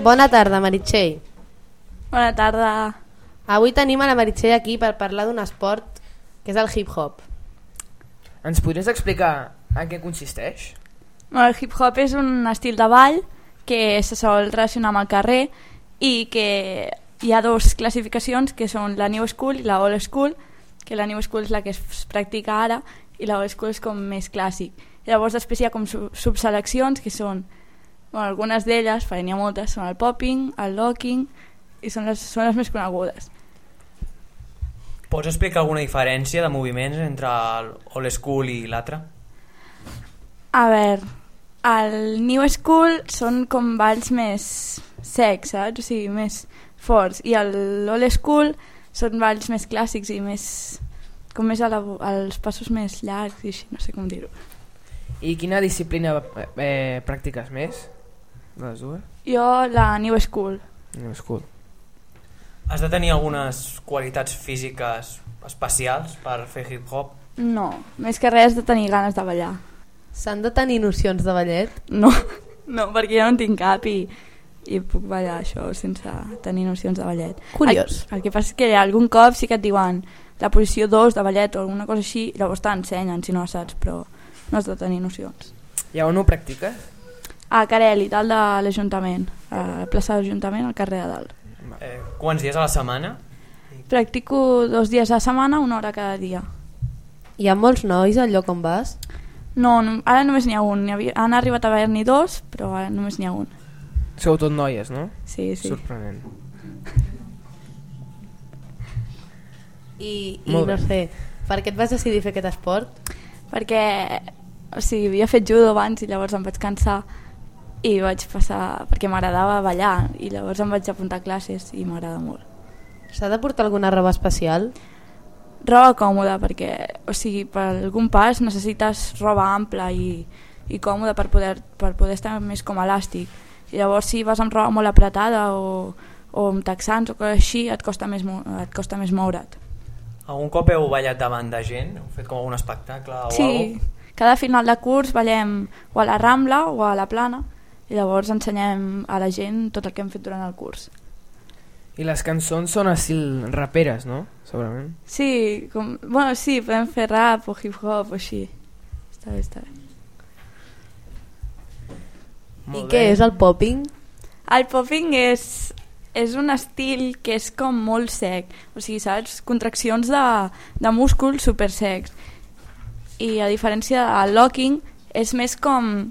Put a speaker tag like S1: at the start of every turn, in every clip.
S1: Bona tarda, Meritxell.
S2: Bona tarda.
S1: Avui tenim a la Meritxell aquí per parlar d'un esport que és el hip-hop.
S3: Ens podries explicar en què consisteix?
S2: El hip-hop és un estil de ball que se sol relacionar amb el carrer i que hi ha dues classificacions que són la New School i la Old School, que la New School és la que es practica ara i la Old School és com més clàssic. I llavors després hi ha com subseleccions que són, bueno, algunes d'elles, n'hi ha moltes, són el popping, el locking i són les més conegudes.
S4: Pots explicar alguna diferència de moviments entre el Old School i l'altre?
S2: A veure, el New School són com balls més secs, saps? O sigui, més forts. I l'Old School són balls més clàssics i més, com més els passos més llargs i així, no sé com dir-ho.
S3: I quina disciplina practiques més? De les dues?
S2: Jo la New School.
S3: New School.
S4: Has de tenir algunes qualitats físiques especials per fer hip-hop?
S2: No, més que res de tenir ganes de ballar.
S1: S'han de tenir nocions de ballet?
S2: No, perquè jo no en tinc cap i puc ballar això sense tenir nocions de ballet.
S1: Curiós.
S2: El que passa és que algun cop sí que et diuen la posició 2 de ballet o alguna cosa així, llavors t'ensenyen si no saps, però no has de tenir nocions.
S3: I on ho practiques?
S2: A Carel i tal de l'Ajuntament, a la plaça de l'Ajuntament, al carrer de dalt.
S4: Quants dies a la setmana?
S2: Practico 2 dies a la setmana, 1 hora cada dia.
S1: Hi ha molts nois al lloc on vas?
S2: No, ara només n'hi ha un. Han arribat a haver-n'hi 2, però ara només n'hi ha un.
S3: Sou tot noies, no?
S2: Sí.
S3: Sorprenent.
S1: I no sé, per què et vas decidir fer aquest esport?
S2: Perquè, o sigui, havia fet judo abans i llavors em vaig cansar i vaig passar, perquè m'agradava ballar i llavors em vaig apuntar a classes i m'agrada molt.
S1: S'ha de portar alguna roba especial?
S2: Roba còmoda, perquè, o sigui, per algun pas necessites roba ampla i còmoda per poder estar més com elàstic. I llavors si vas amb roba molt apretada o amb texans o coses així et costa més moure't.
S4: Algun cop heu ballat davant de gent? Heu fet com algun espectacle o alguna cosa?
S2: Sí, cada final de curs ballem o a la Rambla o a la Plana i llavors ensenyem a la gent tot el que hem fet durant el curs.
S3: I les cançons són estil raperes, no? Segurament.
S2: Sí, sí, podem fer rap o hip-hop o així. Està bé.
S1: I què és el popping?
S2: El popping és un estil que és com molt sec, o sigui, saps? Contraccions de músculs super secs. I a diferència del locking és més com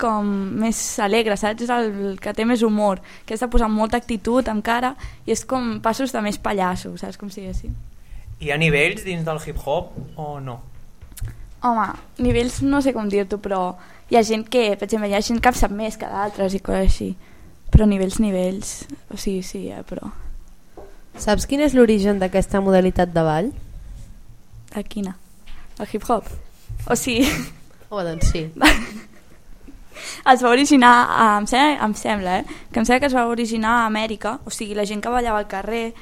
S2: més alegre, saps? És el que té més humor, que has de posar molta actitud amb cara i és com passos de més pallasso, saps com diguéssim.
S4: Hi ha nivells dins del hip-hop o no?
S2: Home, nivells no sé com dir-t'ho, però hi ha gent que, per exemple, hi ha gent que sap més que d'altres i coses així, però nivells, o sigui, sí, però...
S1: Saps quin és l'origen d'aquesta modalitat de ball?
S2: De quina? El hip-hop? O sigui...
S1: doncs sí.
S2: Es va originar, em sembla, que es va originar a Amèrica, o sigui, la gent que ballava al carrer,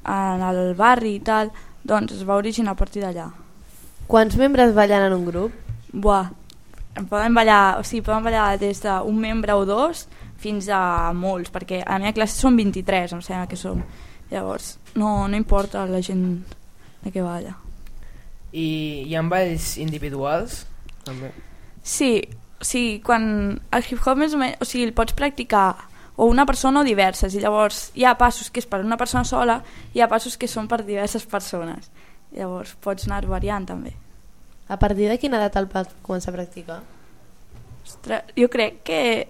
S2: en el barri i tal, doncs es va originar a partir d'allà.
S1: Quants membres ballen en un grup?
S2: Poden ballar des d'un membre o 2 fins a molts, perquè a la meva classe són 23, em sembla que som. Llavors, no importa la gent de què balla.
S3: I hi ha balls individuals? També.
S2: Sí, quan el hip-hop més o menys, o sigui, el pots practicar o una persona o diverses, i llavors hi ha passos que és per una persona sola i hi ha passos que són per diverses persones. Llavors pots anar variant també.
S1: A partir de quina edat el pots començar a practicar?
S2: Ostres, jo crec que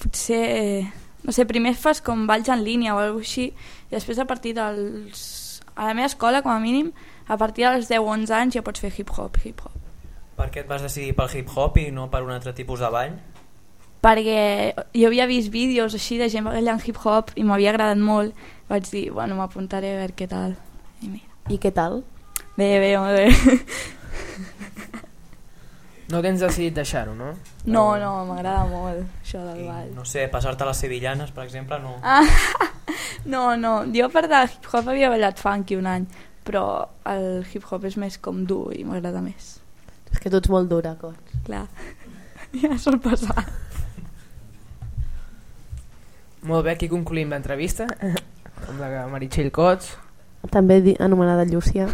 S2: potser, no sé, primer fas com balls en línia o alguna cosa així i després a partir dels... A la meva escola, com a mínim, a partir dels 10-11 anys ja pots fer hip-hop.
S4: Per què et vas decidir pel hip-hop i no per un altre tipus de ball?
S2: Perquè jo havia vist vídeos així de gent ballant hip-hop i m'havia agradat molt. Vaig dir, bueno, m'apuntaré a veure què tal.
S1: I què tal?
S2: Bé, molt bé.
S3: No tens decidit deixar-ho, no?
S2: No, m'agrada molt això del ball.
S4: No sé, passar-te les sevillanes, per exemple, no...
S2: No, jo per de hip-hop havia ballat funky un any, però el hip-hop és més com dur i m'agrada més.
S1: És que tu ets molt dura, Cots.
S2: Clar, ja sol passar.
S3: Molt bé, aquí concluïm l'entrevista amb la Meritxell Cots.
S1: També anomenada Llúcia.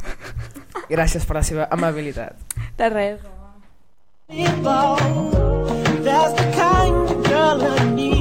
S3: Gràcies per la seva amabilitat.
S2: De res.
S5: That's the kind of girl I need.